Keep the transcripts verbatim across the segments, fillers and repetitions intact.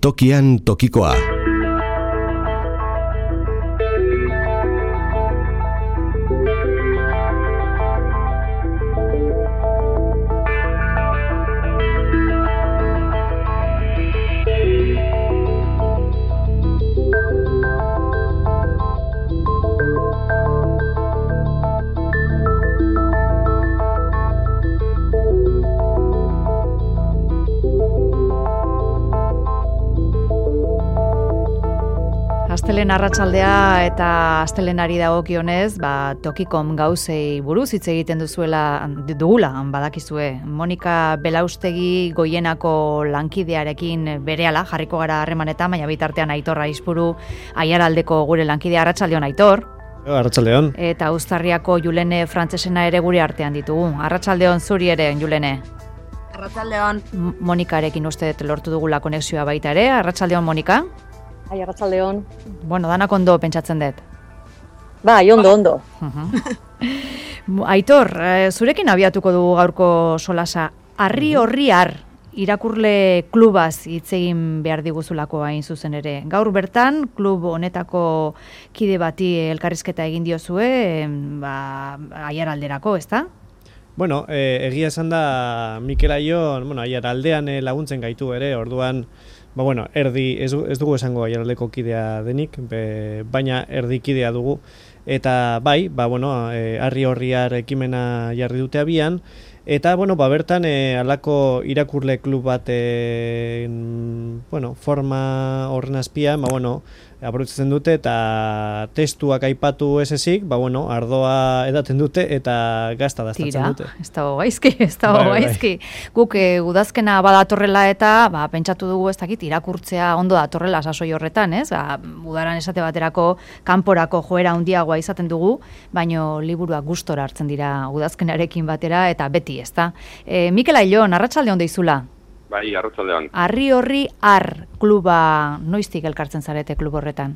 Tokian tokikoa. Astelen arratsaldea eta astelenari dagokionez, ba, Tokikom gauzei buruz hitz egiten duzuela dugula, badakizue. Monika Belaustegi Goienako lankidearekin berehala jarriko gara harremanetan, baina bitartean Aitor Aizpuru Aiaraldeko gure lankidea. Arratsaldeon, Aitor. Arratsaldeon. Eta Uztarriako Julene Frantsesena ere gure artean ditugu. Arratsaldeon zuri ere, Julene. Arratsaldeon. Monikarekin uste dut lortu dugula konexioa baita ere. Arratsaldeon, Monika. Ai, arratsaldeon. Bueno, danak ondo pentsatzen dut. Bai, ondo, ondo. Uh-huh. Aitor, zurekin abiatuko dugu gaurko solasa. Arri horri ar, irakurle klubaz hitz egin behar diguzulako hain zuzen ere. Gaur bertan, klub honetako kide bati elkarrizketa egin diozue, ba, Aiaralderako, ezta? Bueno, eh, egia esan da Mikel Aion, bueno, Aiaraldean eh, laguntzen gaitu ere, orduan, ba bueno, erdi, ez, ez dugu esango Aiaraldeko kidea denik, be, baina erdi kidea dugu. Eta bai, ba bueno, e, arri horriar ekimena jarri dute abian, eta bueno, ba bertan e, alako irakurle klub bat e, bueno, forma horren azpian, ba bueno, aprobetxatzen dute eta testuak aipatu ez ezik, ba bueno, ardoa edaten dute eta gazta daztatzen dute. Tira, ez dago gaizki, ez dago bai, gaizki. Bai. Guk e, udazkena badatorrela eta ba, pentsatu dugu ez dakit irakurtzea ondo datorrela sasoi horretan, ez? Ba, udaran esate baterako kanporako joera handiagoa izaten dugu, baino liburuak gustora hartzen dira udazkenarekin batera eta beti, ezta? E, Mikel Aion, arratsalde ondo izula. Bai, arratsaldean. Arri horri ar kluba noiztik elkartzen zarete klub horretan?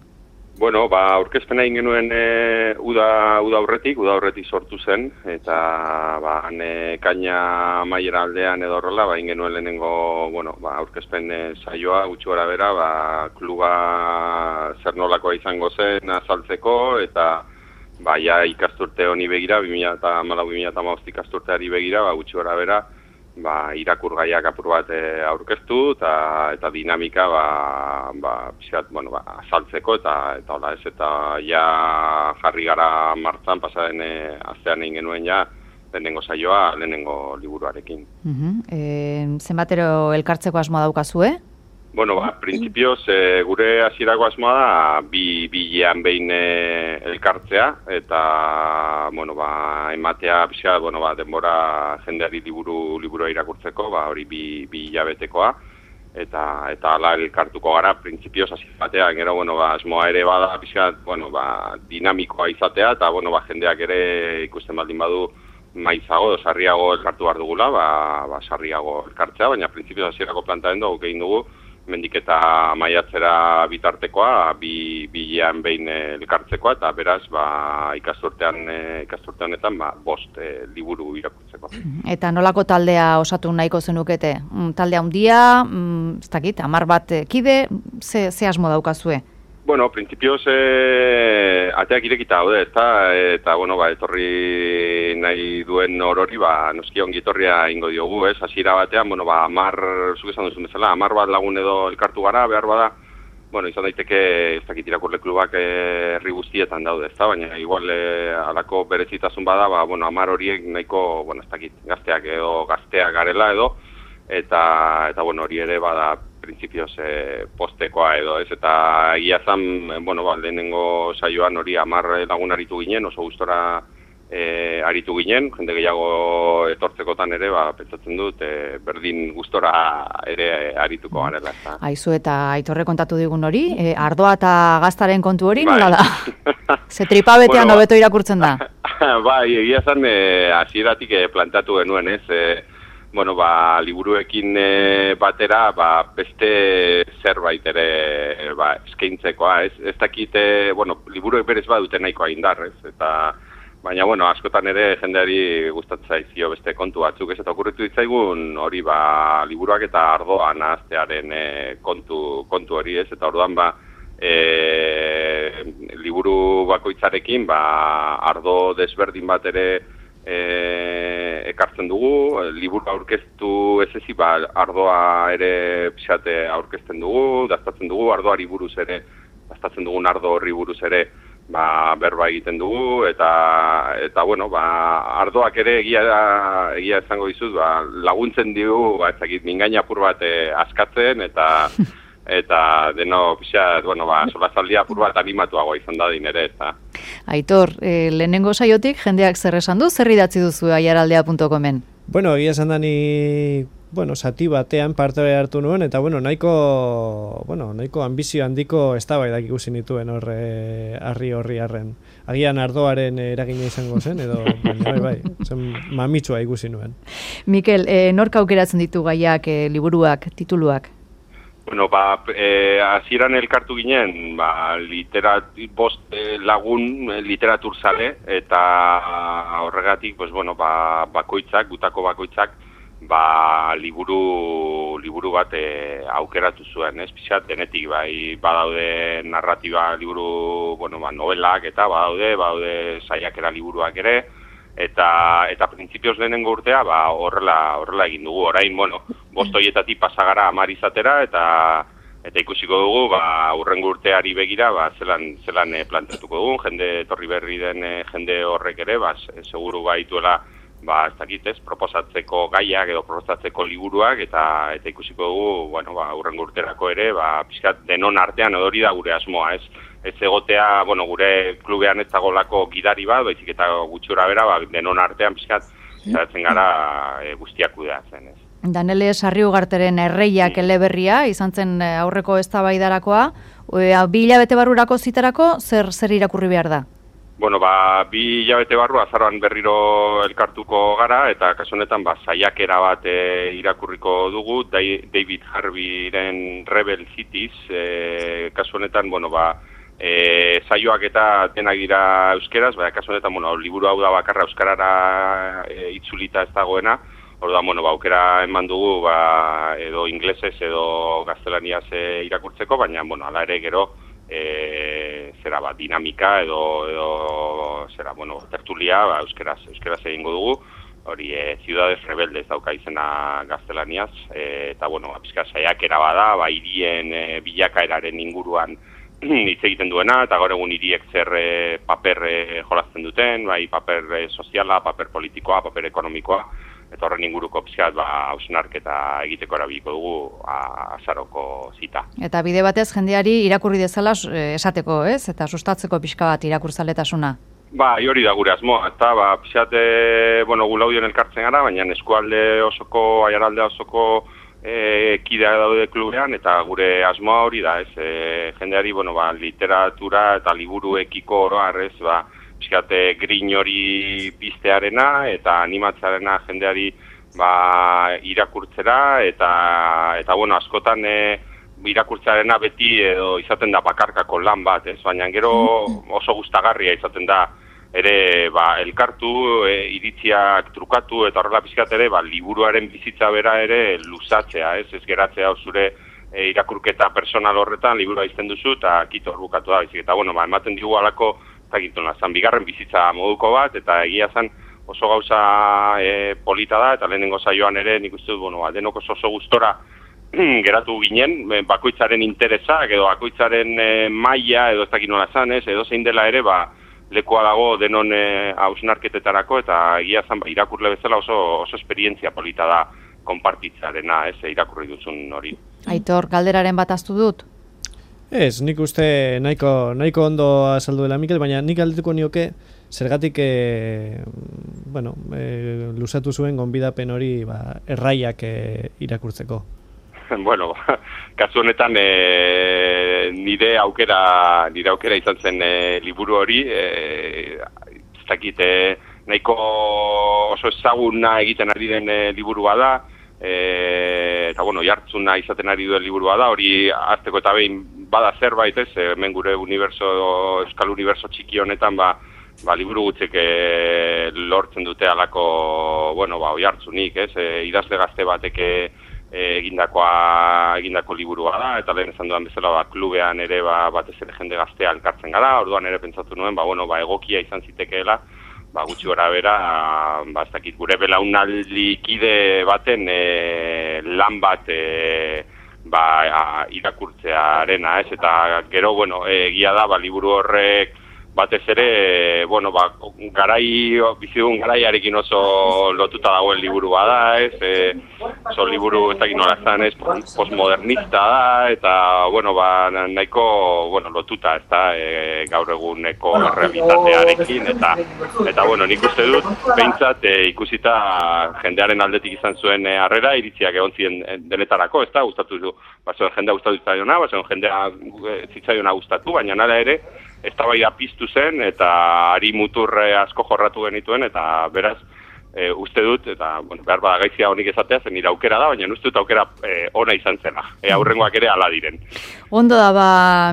Bueno, ba, aurkezpena egin genuen e, uda, uda aurretik, uda aurretik sortu zen, eta ba, ne, kaina maiera aldean edo horrela, ba, egin genuen lehenengo, bueno, ba, aurkezpen e, saioa, gutxi gara bera, ba, kluba zer nolakoa izango zen azaltzeko, eta ba, ja ikasturte honi begira, bi mila hamalau bi mila hamabost ikasturteari begira, ba, gutxi gara bera, ba, irakurgaiak apur bat e, aurkeztu eta eta dinamika ba ba pixkat, bueno, ba azaltzeko eta eta hola ez eta ja jarri gara martxan pasaren e, astean egin genuen ja lehenengo saioa lehenengo liburuarekin. Uh-huh. Eh, zenbatero elkartzeko asmoa daukazue? Bueno, ba, printzipioz, e, gure hasierako asmoa da bi bilean behin e, elkartzea eta bueno, ba, ematea pixka, bueno, ba, denbora jendeari liburu liburua irakurtzeko, ba, hori bi bi hilabetekoa eta eta hala elkartuko gara printzipioz hasi batean, gero bueno, ba, asmoa ere bada pixka, bueno, ba, dinamikoa izatea eta bueno, ba, jendeak ere ikusten baldin badu maizago, sarriago elkartu behar dugula, ba, ba sarriago elkartzea, baina printzipioz hasierako planteamendu guk egin dugu mendik eta maiatzera bitartekoa, bi bilean behin elkartzekoa, eta beraz, ba, ikasturtean, ikasturte honetan, ba, bost e, liburu irakurtzeko. Eta nolako taldea osatu nahiko zenukete? Taldea handia, ez dakit, hamar bat kide, ze, ze asmo daukazue? Bueno, printzipioz, e, ateak irekita daude, eta, eta, bueno, ba, etorri nahi duen orori, ba, noski ongi etorria ingo diogu, ez? Hasiera batean, bueno, ba, amar, zuk esan duzun bezala, amar bat lagun edo elkartu gara, behar bada, bueno, izan daiteke, ez dakit irakurle klubak herri guztietan daude, ez da? Baina, igual, e, alako berezitasun bada, ba, bueno, amar horiek nahiko, bueno, ez dakit, gazteak edo gazteak garela edo, eta, eta, bueno, hori ere bada, printzipioz e, postekoa edo, ez, eta egia zan, bueno, ba, lehenengo saioan hori hamar lagun aritu ginen, oso gustora e, aritu ginen, jende gehiago etortzekotan ere, ba, pentsatzen dut, e, berdin gustora ere arituko garela. Eta. Aizu eta Aitorre kontatu digun hori, e, ardoa eta gaztaren kontu hori, bai. Nola da? Ze tripabetean bueno, hobeto irakurtzen da? Bai, egia zan, e, hasieratik e, plantatu genuen, ez, e, bueno, ba, liburuekin e, batera, ba, beste zerbait ere ba, eskaintzekoa, ez, ez dakite, bueno, liburuek berez badute nahikoa indar, ez, eta baina, bueno, askotan ere jendeari gustatzen zaizkio beste kontu batzuk, ez eta okurritu ditzaigun hori ba, liburuak eta ardoa nahaztearen e, kontu, kontu hori ez, eta orduan ba, e, liburu bakoitzarekin ba, ardo desberdin bat ere e, ekartzen dugu, liburu aurkeztu ez ezi, ba, ardoa ere pixate aurkezten dugu, daztatzen dugu, ardoari buruz ere, daztatzen dugun ardo horri buruz ere, ba, berba egiten dugu, eta, eta bueno, ba, ardoak ere egia, egia esango dizut, ba, laguntzen digu, ba, ezakit, mingaina apur bat eh, askatzen, eta eta deno, pixat, bueno, ba, solazaldia apur bat animatuagoa izan da ere, eta. Aitor, eh, lehenengo saiotik jendeak zer esan du, zer idatzi duzu aiaraldea punto comen? Bueno, egia esan da ni, bueno, sati batean parte hartu nuen, eta bueno, nahiko, bueno, nahiko ambizio handiko eztabaidak ikusi nituen horre harri horri harren. Agian ardoaren eragina izango zen, edo, baina bai, bai, zen mamitsua ikusi nuen. Mikel, eh, nork aukeratzen ditu gaiak, eh, liburuak, tituluak? Bueno, ba, eh, hasieran elkartu ginen, ba, literat, bost eh, lagun eh, literatur zale, eta horregatik, pues, bueno, ba, bakoitzak, gutako bakoitzak, ba, liburu, liburu bat eh, aukeratu zuen, ez? Pixat, denetik, bai, badaude narratiba liburu, bueno, ba, novelak, eta badaude, badaude saiakera liburuak ere, eta eta printzipioz lehenengo urtea ba horrela horrela egin dugu. Orain, bueno, bost hoietatik pasagara hamar izatera eta eta ikusiko dugu ba hurrengo urteari begira ba zelan zelan e, planteatuko dugu, jende etorri berri den e, jende horrek ere ba seguru baituela ba ez dakit ez proposatzeko gaiak edo proposatzeko liburuak eta eta ikusiko dugu, bueno, ba hurrengo urterako ere ba pixkat denon artean hori da gure asmoa, ez? Ez egotea, bueno, gure klubean ez dagolako gidari bat, baizik eta gutxura bera, ba, denon artean pixkat, zaratzen gara e, guztiak kudeatzen, ez. Danele Sarriugarteren erreiak mm. eleberria, izan zen aurreko eztabaidarakoa, e, bi hilabete barrurako ziterako, zer zer irakurri behar da? Bueno, ba, bi hilabete barru azaroan berriro elkartuko gara, eta kasu honetan ba, saiakera bat e, irakurriko dugu, David Harveyren Rebel Cities, e, kasu honetan, bueno, ba, E, saioak eta denak dira euskeraz, baina kasu honetan, bueno, liburu hau da bakarra euskarara e, itzulita ez dagoena, orduan, bueno, ba, aukera eman dugu, ba, edo inglesez edo gaztelaniaz e, irakurtzeko, baina, bueno, ala ere gero, e, zera, ba, dinamika edo, edo zera, bueno, tertulia, ba, euskeraz, euskeraz egingo dugu, hori, e, Ciudades Rebeldes dauka izena gaztelaniaz, e, eta, bueno, pizka saiakera bada, ba, hirien e, bilakaeraren inguruan hitz egiten duena, eta gaur egun hiriek zer e, paper e, jolazten duten, bai paper e, soziala, paper politikoa, paper ekonomikoa, eta horren inguruko pixkat ba, hausnarketa egiteko erabiliko dugu a, azaroko zita. Eta bide batez jendeari irakurri dezala esateko, ez? Eta sustatzeko pixka bat irakurzaletasuna. Ba, hori da gure asmoa, eta ba, pixkat, e, bueno, gulaudien elkartzen gara, baina eskualde osoko, aiaraldea osoko E, kidea daude klubean, eta gure asmoa hori da, ez, e, jendeari, bueno, ba, literatura eta liburuekiko oroar, ez, ba, pixkate grin hori piztearena, eta animatzearena jendeari, ba, irakurtzera, eta, eta, bueno, askotan, e, irakurtzearena beti edo izaten da bakarkako lan bat, ez, baina gero oso gustagarria izaten da, ere ba, elkartu, e, iritziak trukatu eta horrela pizkat ere ba, liburuaren bizitza bera ere luzatzea, ez, ez geratzea zure e, irakurketa personal horretan liburua izten duzu eta kito hor bukatu da, bizik. Eta bueno, ba, ematen digu alako, eta gintuna, zan bigarren bizitza moduko bat, eta egia zen oso gauza e, polita da, eta lehenengo saioan ere nik uste dut, bueno, ba, denok oso oso gustora geratu ginen, bakoitzaren interesak edo bakoitzaren e, maila edo ez dakit nola zan, ez, edo zein dela ere, ba, lekoa dago denon hausnarketetarako, eta egia zan, ba, irakurle bezala oso, oso esperientzia polita da konpartitzarena, ez, irakurri duzun hori. Aitor, galderaren bat aztu dut? Ez, nik uste nahiko, nahiko ondo azaldu dela Mikel, baina nik galdetuko nioke zergatik e, bueno, e, luzatu zuen gonbidapen hori ba, erraiak e, irakurtzeko. Bueno, kasu honetan e, nire aukera nire aukera izan zen e, liburu hori, e, ez dakit, e, nahiko oso ezaguna egiten ari den e, liburua da, e, eta bueno, jartzuna izaten ari duen liburua da, hori azteko eta behin bada zerbait, ez, hemen gure uniberso, euskal uniberso txiki honetan, ba, ba, liburu gutxek e, lortzen dute alako, bueno, ba, oihartzunik, ez? E, idazle gazte batek e, egindakoa egindako liburua da, eta lehen esan dudan bezala ba, klubean ere ba, batez ere jende gaztea elkartzen gara, orduan ere pentsatu nuen, ba, bueno, ba, egokia izan zitekeela, ba, gutxi gora bera, ba, ez dakit, gure belaunaldi kide baten e, lan bat e, ba, irakurtzearena, ez? Eta gero, bueno, egia da, ba, liburu horrek batez ere, bueno, ba, garai, bizidugun garaiarekin oso lotuta dagoen liburua da, ez? E, oso liburu ez dakit nola zan, ez? Postmodernista da, eta, bueno, ba, nahiko, bueno, lotuta, ez da, e, gaur eguneko realitatearekin, eta, eta, bueno, nik uste dut, behintzat, e, ikusita jendearen aldetik izan zuen e, harrera, iritziak egon ziren denetarako, ez da, gustatu du, bazen jendea gustatu zitzaiona, bazen jendea zitzaiona gustatu, baina nara ere, eztabaida piztu zen eta ari muturre asko jorratu genituen eta beraz e, uste dut eta bueno, behar bada gaizia honik esatea zen nire aukera da, baina uste dut aukera e, ona izan zela. E, aurrengoak ere hala diren. Ondo da, ba,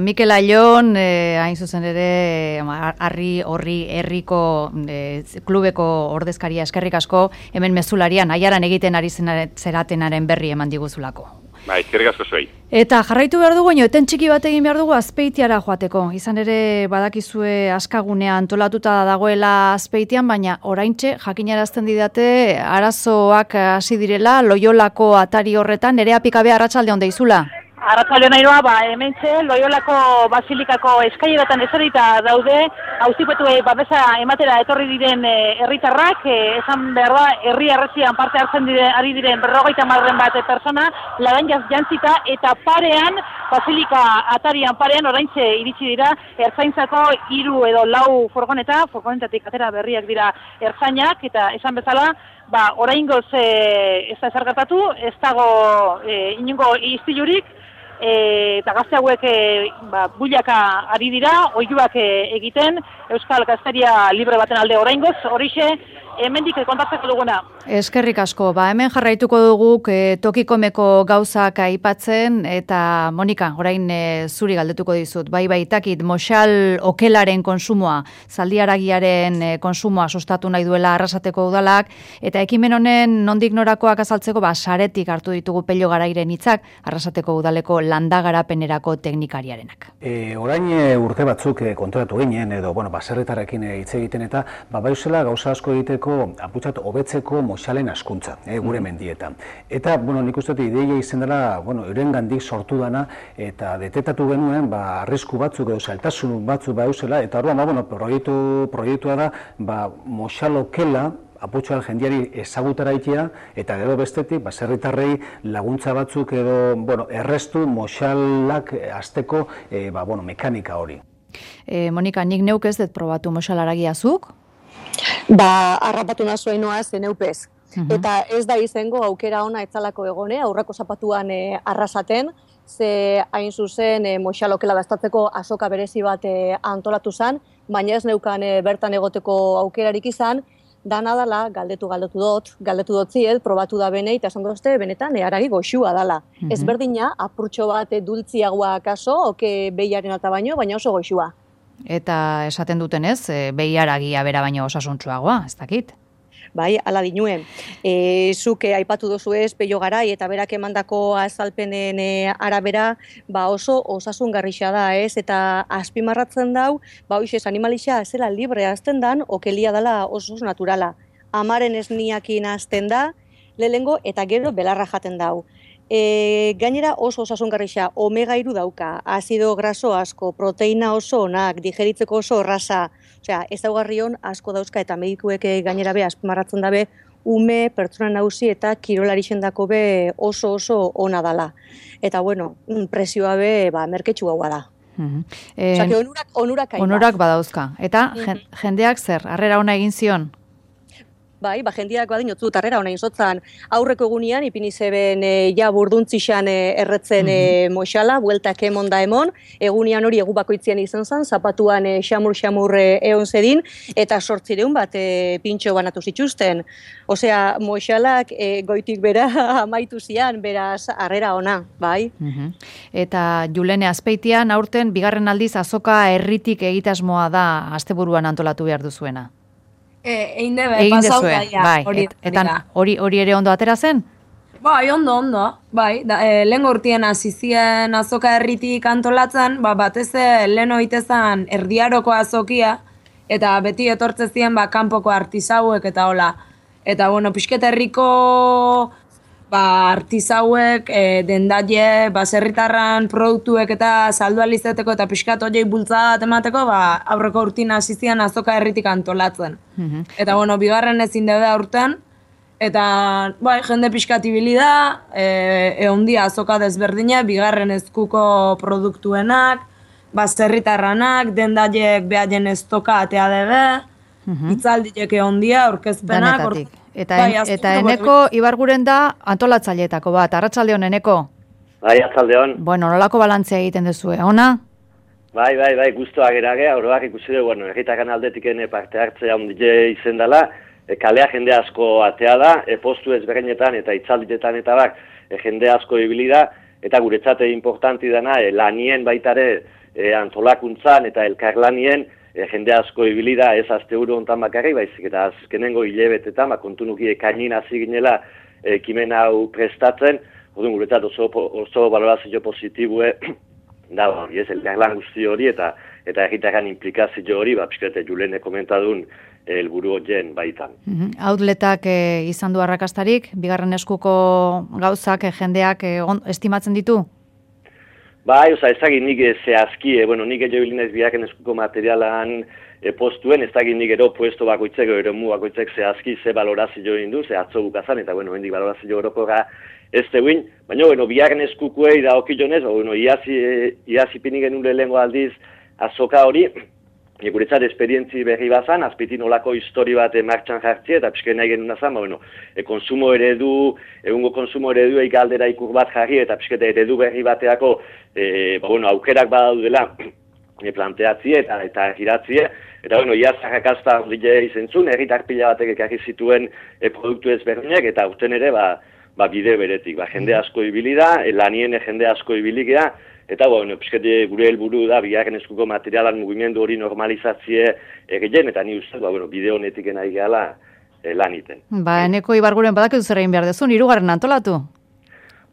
Mikel Aion, e, hain zuzen ere, harri horri herriko e, klubeko ordezkaria eskerrik asko, hemen mezularian, aiaran egiten ari zeratenaren berri eman diguzulako. Ba, eskerrik asko zuei. Eta jarraitu behar dugu, eten txiki bat egin behar dugu Azpeitiara joateko. Izan ere badakizue askagunea antolatuta dagoela Azpeitian, baina oraintxe jakinarazten didate arazoak hasi direla Loiolako atari horretan, Nerea Pikabe arratsalde on deizula. Arratsalde nairoa, ba, hementxe, Loiolako Basilikako eskaileretan ezerita daude, auzipetuei babesa ematera etorri diren herritarrak, e, esan behar da, herri arresian parte hartzen diren, ari diren berrogeita hamarren bat persona, ladan jantzita, eta parean, Basilika atarian parean, oraintxe iritsi dira, ertzaintzako hiru edo lau furgoneta, furgonetatik atera berriak dira ertzainak, eta esan bezala, ba, oraingoz e, ez da ezer gertatu, ez dago e, inongo istilurik, E, eta gazte hauek e, ba, builaka ari dira, oihuak e, egiten, Euskal Gazteria libre baten alde oraingoz, horixe, hemendik kontatzeko duguna. Eskerrik asko, ba, hemen jarraituko dugu e, tokikomeko gauzak aipatzen, eta Monika, orain e, zuri galdetuko dizut, bai baitakit, moxal okelaren konsumoa, zaldiaragiaren e, konsumoa sustatu nahi duela Arrasateko udalak, eta ekimen honen nondik norakoak azaltzeko, ba, saretik hartu ditugu Pello Garairen hitzak, Arrasateko udaleko landagarapenerako teknikariarenak. E, orain e, urte batzuk e, kontratu ginen, edo, bueno, baserretarrekin hitz e, egiten eta, ba, baiuzela gauza asko egiteko, aputxat, hobetzeko moxalen askuntza, e, gure mendietan. Eta, bueno, nik uste dut ideia izan dela, bueno, euren gandik sortu dana, eta detetatu genuen, ba, arrisku batzuk edo zailtasun batzuk baiuzela, eta orduan, ba, bueno, proiektu, proiektua da, ba, moxalokela, aputxoal jendiari ezagutara itea, eta gero bestetik, baserritarrei laguntza batzuk edo, bueno, errestu moxalak azteko, e, ba, bueno, mekanika hori. E, Monika, nik neuk ez dut probatu moxalaragiazuk? Ba, harrapatu nazuen noa zen eupez. Uh-huh. Eta ez da izango aukera ona etzalako egone, aurrako zapatuan e, arrasaten, ze hain zuzen e, moxalokela dastatzeko azoka berezi bat e, antolatu zen, baina ez neukan e, bertan egoteko aukerarik izan, dana dala, galdetu galdetu dut, galdetu dut ziet, probatu da bene, eta esan dozte, benetan, haragi goxua dala. Mm-hmm. Ez berdina, apurtxo bat dultziagoa kaso, oke behiaren alta baino, baina oso goxua. Eta esaten dutenez, behiaragia bera baino osasuntsuagoa, ez dakit? Bai, ala dinuen. E, zuke aipatu dozu ez, Pello Garai, eta berak emandako azalpenen e, arabera, ba oso osasungarrixa da, ez? Eta azpimarratzen dau, ba hoixez, animalixa zela libre azten dan, okelia dela oso naturala. Amaren esniakin azten da, lehengo eta gero belarra jaten dau. E, gainera oso osasungarrixa, omega hiru dauka, azido graso asko, proteina oso onak, digeritzeko oso erraza, osea, ezaugarrion asko dauzka eta medikuek gainera be azpimarratzen dabe ume, pertsona nauzi eta kirolarixen dako be oso oso ona dala. Eta bueno, presioa be ba, merketxu gaua da. Mm-hmm. Osea, que onurak, onurak, onurak badauzka. Eta mm-hmm. jendeak zer, harrera ona egin zion? bai, ba, jendiak badin otzu tarrera honain zotzan, aurreko egunean, ipini zeben e, ja burduntzixan e, erretzen e, moxala, bueltak emon da emon, egunean hori egu bakoitzian izan zen, zapatuan e, xamur-xamur e, eon zedin, eta sortzireun bat e, pintxo banatu zituzten. Osea, moxalak e, goitik bera amaitu zian, beraz, harrera ona, bai. Mhm. Eta Julene Azpeitian, aurten, bigarren aldiz azoka herritik egitasmoa da asteburuan antolatu behar duzuena. E, egin debe, pasau daia. Bai, hori, et, eta hori, hori ere ondo atera zen? Bai, ondo, ondo. Bai, da, e, lehen urtien hasi zien azoka herritik antolatzen, ba, batez lehen oitezan erdiaroko azokia, eta beti etortze zien ba, kanpoko artisauek eta hola. Eta, bueno, pixket herriko ba, artisauek, e, dendaile, baserritarran produktuek eta saldu alizeteko eta pixkat horiek bultzada bat emateko, ba, aurreko urtin hasi zian azoka herritik antolatzen. Mm-hmm. Eta, bueno, bigarren ezin debe aurten, eta, bai, jende pixkat ibili da, e, eondia azoka desberdina, bigarren ezkuko produktuenak, baserritarranak, dendaileek behaien estoka atea debe, mm-hmm. itzaldiek eondia, aurkezpenak. Danetatik. Eta, bai, en, eta eneko Ibarguren da antolatzaileetako bat, arratsaldeon eneko? Bai, arratsaldeon. Bueno, nolako balantzea egiten duzue, ona? Bai, bai, bai, guztua gerage, oroak ikusi dugu, bueno, erritakan aldetik ene parte hartzea ondile izen dela, e, kalea jende asko atea da, e, postu ezberdinetan eta itzalditetan eta bak, e, jende asko ibili da, eta guretzate importanti dana, e, lanien baitare e, antolakuntzan eta elkarlanien, E, jende asko ibili da, ez azte uru ontan bakarri, baizik eta azkenengo hilebetetan, ba, kontunuki ekainin hasi ginela ekimen hau prestatzen, orduan guretzat oso, oso balorazio positibue, da, hori ez, elkarlan guzti hori, eta eta erritakan implikazio hori, ba, pixkete Julene komentadun helburu horien baitan. Mm-hmm. Outletak e, izan du arrakastarik, bigarren eskuko gauzak e, jendeak e, on, estimatzen ditu? Bai, oza, ez dakit nik zehazki, e, bueno, nik edo bilinez biharren eskuko materialan e, postuen, ez dakit nik ero puesto bakoitzek, ero mu bakoitzek zehazki ze balorazio indu, ze atzo bukazan, eta bueno, hendik balorazio orokorra ez teguin, baina, bueno, biharren eskukuei da okilonez, bueno, iazi, e, iazi pinik genuen lehenko aldiz azoka hori, e, guretzat esperientzi berri bazan, azpitin olako histori bat martxan jartzie, eta pixken nahi genuen azan, ba, bueno, e, konsumo eredu, egungo konsumo eredu eik aldera ikur bat jarri, eta pixkete eredu berri bateako, e, ba, bueno, aukerak badaudela e, planteatzie eta eta giratzie, eta, bueno, ia zarrakazta ondile izentzun, erritar pila batek ekarri zituen e, produktu ezberdinak, eta urten ere, ba, ba, bide beretik, ba, jende asko ibili da, e, lanien jende asko ibili gea, eta, bueno, pixkete gure helburu da, bigarren eskuko materialan mugimendu hori normalizatzie egiten, eta ni uste, ba, bueno, bide honetik nahi gehala e, lan iten. Ba, eneko Ibarguren badak ez zer egin behar dezun, hirugarren antolatu?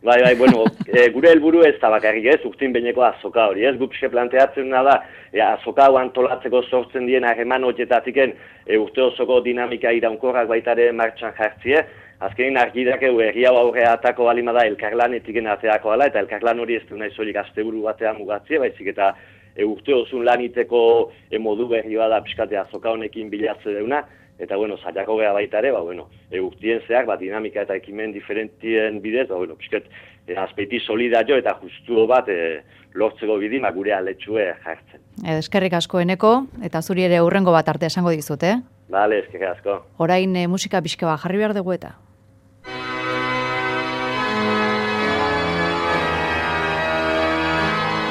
Bai, bai, bueno, e, gure helburu ez da bakarrik ez, urtin beneko azoka hori, ez, gupxe planteatzen da, e, azoka hau antolatzeko sortzen dien harreman horietatiken e, urte osoko dinamika iraunkorrak baitare martxan jartzie, azkenin argidak egu erri hau aurrea atako balimada elkarlanetik ateako ala, eta elkarlan hori ez du nahi zolik asteburu batean mugatzie, baizik eta e, urte osun laniteko e, modu berri bada pixkate azoka honekin bilatze deuna, eta, bueno, zailako geha baita ere, ba, bueno, e, urtien zeak, ba, dinamika eta ekimen diferentien bidez, ba, bueno, pixket, e, azpeiti solidario eta justu bat e, lortzeko bidima gure aletxue jartzen. Eskerrik asko eneko, eta zuri ere hurrengo bat arte esango dizut, eh? Bale, eskerrik asko. Orain e, musika pixka bat jarri behar dugu eta.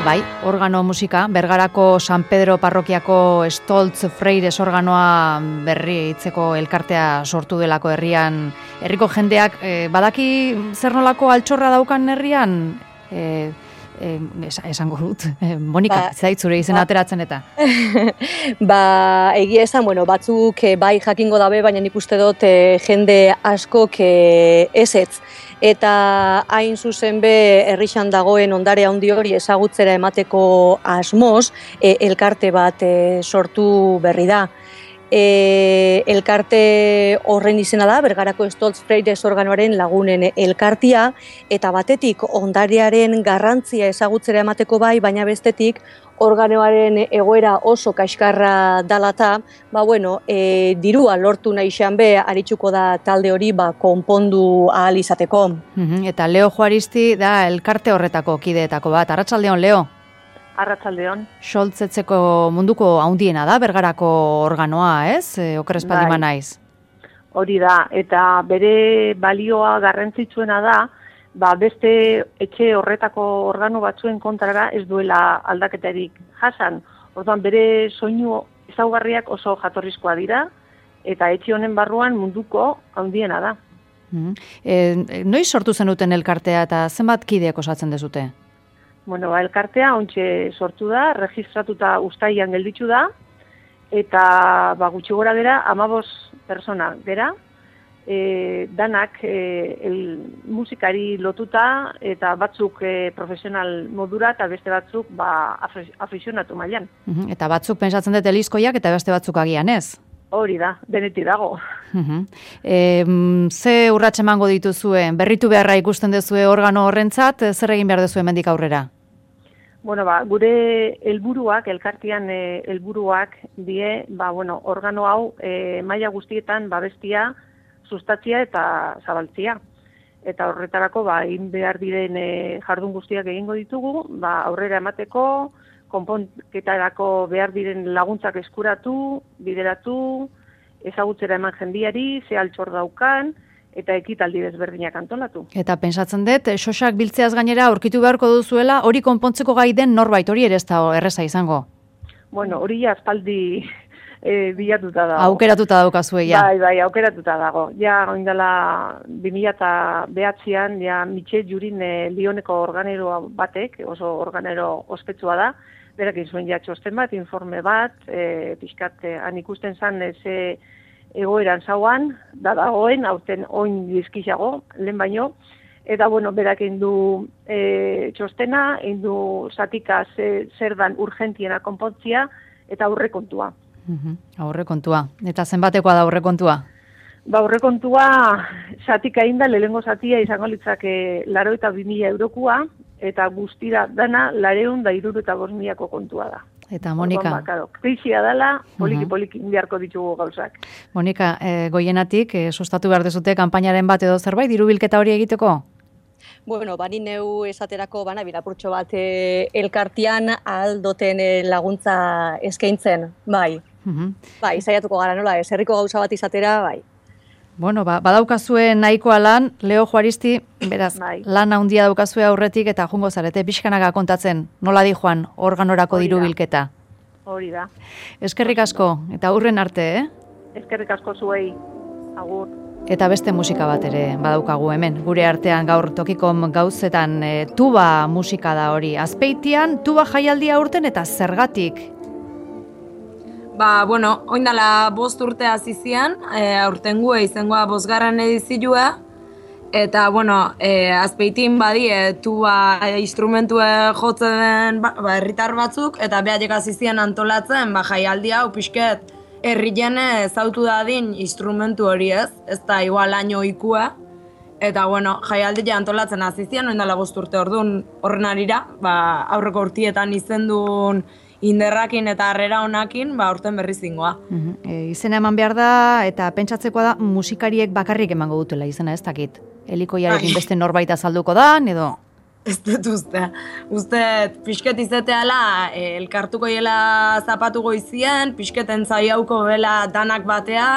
Bai, organo musika, Bergarako San Pedro parrokiako Stoltz Freires organoa berri hitzeko elkartea sortu delako herrian. Herriko jendeak eh, badaki zer nolako altxorra daukan herrian? Eh, eh, esango dut, eh, Monika, ba, zait zure izen ba, ateratzen eta. Ba, egia esan, bueno, batzuk eh, bai jakingo dabe, baina nik uste dut eh, jende askok eh, ezetz. Eta hain zuzen be herrixan dagoen ondare handi hori ezagutzera emateko asmoz, e, elkarte bat e, sortu berri da. E, elkarte horren izena da, Bergarako Stoltz Freires organoaren lagunen elkartia, eta batetik ondarearen garrantzia ezagutzera emateko bai, baina bestetik organoaren egoera oso kaskarra dalata, ba bueno, e, dirua lortu nahi xan be, aritsuko da talde hori ba, konpondu ahal izateko. Mm-hmm. Eta Leo Juaristi da elkarte horretako kideetako bat. Arratsaldeon, Leo? Arratsaldeon. Xoltzetzeko munduko handiena da, Bergarako organoa, ez? E, oker espaldima naiz. hori da, eta bere balioa garrantzitsuena da, ba, beste etxe horretako organo batzuen kontrara ez duela aldaketarik jasan. Orduan bere soinu ezaugarriak oso jatorrizkoa dira, eta etxe honen barruan munduko handiena da. Mm. E, noiz sortu zenuten elkartea eta zenbat kideak osatzen dezute? Bueno, ba, elkartea ontxe sortu da, registratuta uztailan gelditzu da, eta ba, gutxi gora gera, amabos persona gera, e, danak e, el, musikari lotuta, eta batzuk e, profesional modura, eta beste batzuk ba, afizionatu mailan. Mm-hmm. Eta batzuk pentsatzen dut elizkoiak, eta beste batzuk agian ez? Hori da, denetik dago. Uh-huh. E, ze urrats emango dituzue? Berritu beharra ikusten duzue organo horrentzat, zer egin behar duzue hemendik aurrera? Bueno, ba, gure helburuak, elkartean eh, helburuak die, ba, bueno, organo hau eh, maila guztietan babestia, sustatzia eta zabaltzia. Eta horretarako, ba, egin behar diren eh, jardun guztiak egingo ditugu, ba, aurrera emateko, konponketarako behar diren laguntzak eskuratu, bideratu, ezagutzera eman jendiari, ze altxor daukan, eta ekitaldi desberdinak antolatu. Eta pentsatzen dut, xosak biltzeaz gainera aurkitu beharko duzuela, hori konpontzeko gai den norbait, hori ere ez da erreza izango? Bueno, hori aspaldi e, bilatuta dago. Aukeratuta daukazue, ja. Bai, bai, aukeratuta dago. Ja, oindala bi mila bederatzian, ja, Mitxe Jurin e, Lioneko organero batek, oso organero ospetsua da, berak izuen ja txosten bat, informe bat, e, pixkat, e, han ikusten zan, ze egoeran zauan, da dagoen, aurten oin dizkizago, lehen baino, eta, bueno, berak egin du e, txostena, egin du zatika ze, zer dan urgentiena konpontzia, eta aurrekontua. Uh-huh. Aurrekontua. Eta zenbatekoa da aurrekontua? Ba, aurrekontua zatika egin da, lehengo zatia izango litzake laro eta bi mila eurokua, eta guztira dana lareun da iruru eta bost milako kontua da. Eta Monika... Ba, claro, krisia dela, poliki-poliki indiarko ditugu gauzak. Monika, e, goienatik, e, sustatu behar dezute kanpainaren bat edo zerbait, dirubilketa hori egiteko? Bueno, bani neu esaterako bana bilapurtxo bat e, elkartian aldoten e, laguntza eskaintzen, bai. Uh-huh. Bai, zaiatuko gara nola, ez herriko gauza bat izatera, bai. Bueno, ba, badaukazue nahikoa lan, Leo Juaristi, beraz, bai. Lan handia daukazue aurretik eta jungo zarete pixkanaga kontatzen, nola di joan, organorako diru bilketa. Hori da. Eskerrik asko, eta aurren arte, eh? Eskerrik asko zuei, agur. Eta beste musika bat ere badaukagu hemen, gure artean gaur Tokikom gauzetan e, tuba musika da hori. Azpeitian tuba jaialdia urten eta zergatik? Ba, bueno, oindala bost urte azizian, e, aurtengo izengoa bosgarren edizioa, eta, bueno, e, Azpeitin badi, e, tuba e, instrumentue jotzen ba, ba, herritar batzuk, eta behaiek azizian antolatzen, ba, jaialdia, upixket, herrien ezautu dadin instrumentu hori ez, ez da igual aino ikua, eta, bueno, jaialdia antolatzen azizian, oindala bost urte orduan horren arira, ba, aurreko urtietan izendun inderrakin eta harrera honakin, ba, urten berriz zingoa. Uh-huh. E, izena eman behar da, eta pentsatzekoa da, musikariek bakarrik emango dutela izena, ez dakit. Elikoiarekin beste norbait azalduko da, edo? Ez dut uste. Uste, pixket izateala, e, elkartuko hiela zapatu goizien, pixketen zaiauko bela danak batea,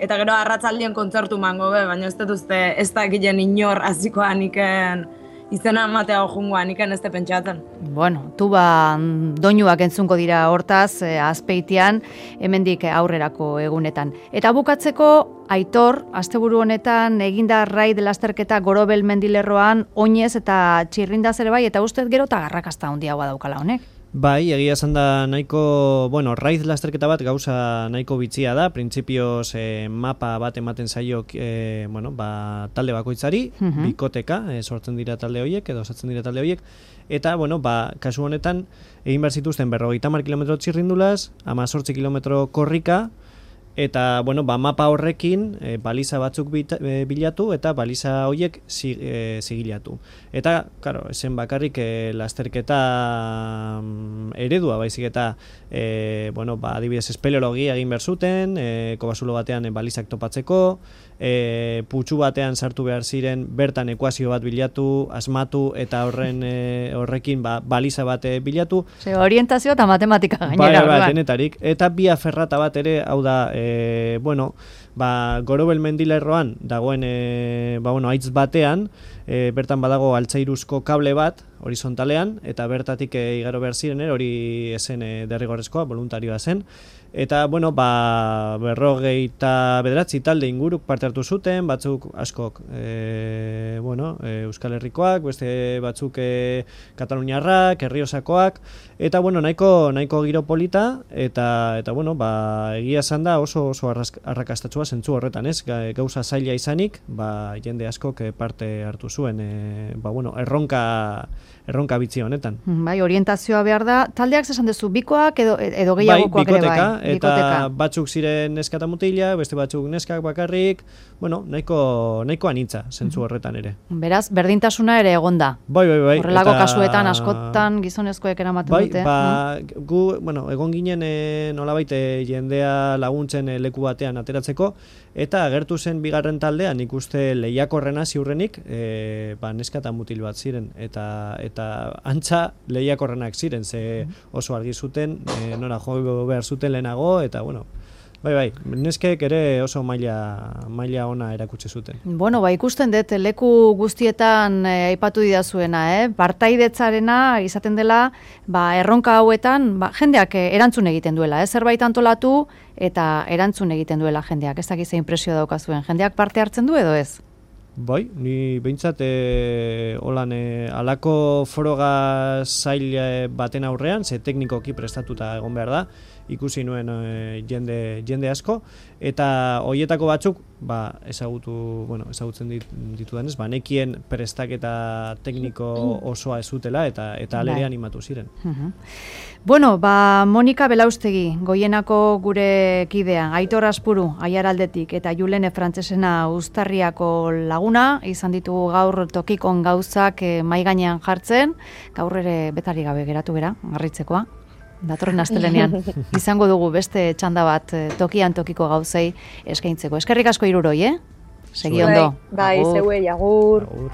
eta gero arratzaldien kontzertu mango be, baina ez dut uste, ez dakilen inor azikoan iken izena ematea ojungoan, iken ez te pentsatzen. Bueno, tuba doinuak entzunko dira hortaz, eh, Azpeitian, hemendik aurrerako egunetan. Eta bukatzeko, Aitor, asteburu honetan, eginda raid lasterketa Gorobel mendilerroan, oinez eta txirrindaz ere bai, eta ustez gero eta garrakasta handiagoa daukala honek. Bai, egia esan da nahiko, bueno, raid lasterketa bat gauza nahiko bitzia da, printzipioz eh, mapa bat ematen zaio eh, bueno, ba, talde bakoitzari, uh-huh. bikoteka, eh, sortzen dira talde horiek, edo osatzen dira talde horiek, eta, bueno, ba, kasu honetan, egin behar zituzten berrogeita hamar kilometro txirrindulaz, hamazortzi kilometro korrika, eta, bueno, ba, mapa horrekin e, baliza batzuk bita, e, bilatu eta baliza horiek zig, e, zigilatu. Eta, claro, esen bakarrik e, lasterketa eredua, baizik eta e, bueno, ba, adibidez espeleologia egin behar zuten, e, kobasulo batean e, balizak topatzeko, e, putxu batean sartu behar ziren bertan ekuazio bat bilatu, asmatu eta horren e, horrekin ba, baliza bat bilatu. Ze, orientazio eta matematika gainera. Bai, bai, denetarik. Eta bia ferrata bat ere, hau da, e, bueno, ba, Gorobel mendilerroan dagoen e, ba, bueno, aitz batean, e, bertan badago altzairuzko kable bat, horizontalean, eta bertatik e, igaro behar ziren, hori esen e, derrigorrezkoa, voluntarioa zen. Eta, bueno, ba, berrogeita bederatzi talde inguruk parte hartu zuten, batzuk askok, e, bueno, e, Euskal Herrikoak, beste batzuk e, Kataluniarrak, Herriosakoak, eta, bueno, nahiko, nahiko giro polita, eta, eta bueno, ba, egia esan da oso, oso arrakastatsua zentzu horretan, ez? Gauza zaila izanik, ba, jende askok parte hartu zuen, e, ba, bueno, erronka, erronka bitzi honetan. Bai, orientazioa behar da, taldeak esan duzu, bikoak edo, edo gehiagokoak ere bai? Eta bikoteka. Batzuk ziren neska eta mutila, beste batzuk neskak bakarrik, bueno, nahiko, nahiko anitza, zentzu horretan ere. Beraz, berdintasuna ere egonda. Bai, bai, bai. Horrelako eta... kasuetan, askotan gizonezkoek eramaten bai, dute. Ba, mm? gu, bueno, egon ginen e, nolabait jendea laguntzen e, leku batean ateratzeko, eta agertu zen bigarren taldean ikuste lehiakorrena ziurrenik, e, ba, neska eta mutil bat ziren, eta eta antza lehiakorrenak ziren, ze oso argi zuten, e, nora jo behar zuten lehenago, eta bueno, bai, bai, neskek ere oso maila, maila ona erakutsi zuten. Bueno, ba, ikusten dut, leku guztietan eh, aipatu didazuena, eh? Partaidetzarena izaten dela, ba, erronka hauetan, ba, jendeak erantzun egiten duela, eh? Zerbait antolatu eta erantzun egiten duela jendeak. Ez dakiz impresio daukazuen, jendeak parte hartzen du edo ez? Bai, ni behintzat e, holan e, alako foroga zail baten aurrean, ze teknikoki prestatuta egon behar da, ikusi nuen e, jende, jende asko, eta hoietako batzuk, ba, ezagutu, bueno, ezagutzen dit, ditudanez, ba, nekien prestaketa tekniko osoa ez zutela, eta, eta alere animatu ziren. Uh-huh. Bueno, ba, Monika Belaustegi, Goienako gure kidea, Aitor Aspuru, Aiaraldetik, eta Julene Frantzesena Uztarriako laguna, izan ditugu gaur tokikon gauzak eh, mai gainean jartzen, gaur ere betari gabe geratu gera, garritzekoa. Datorren astelenean izango dugu beste txanda bat tokian tokiko gauzei eskaintzeko. Eskerrik asko hiruroi, eh? Segi ondo. Bai, zeuei, agur. Agur.